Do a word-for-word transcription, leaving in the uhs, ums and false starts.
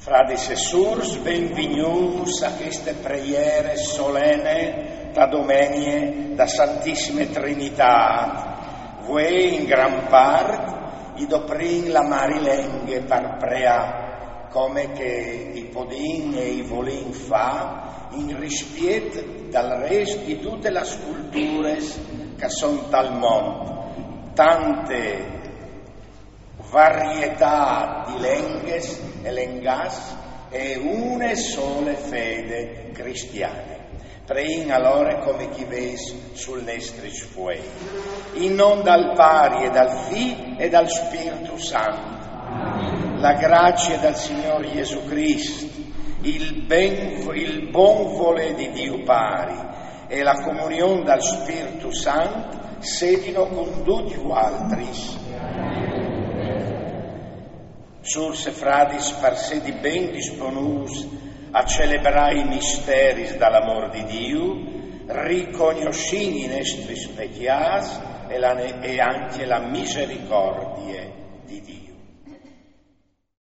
Fradis e sûrs, benvignûts a cheste preiere solene ta domenie da Santissime Trinitât. Vuê in gran part i doprìn la mari lenghe par preâ, come che i podìn e i volìn fâ in rispiet dal rest di dutis las culturis che a son tal mont. Tante varietât di lenghis e lengâts e une sole fede cristiane. Preìn alore come ch'i vês sul nestri sfuei. In non dal Pari e dal Fi e dal Spirtu Sant. La gracie dal Signôr Jesù Crist, il, ben, il bon volê di Diu Pari e la comunion dal Spirtu Sant sedino cun ducj vualtris. Sûrs e fradis, par sedi ben disponûts a celebrâ i misteris dal amôr di Diu, ricognossìn i nestris pecjâts e la ne-, e ancje la misericordie di Diu.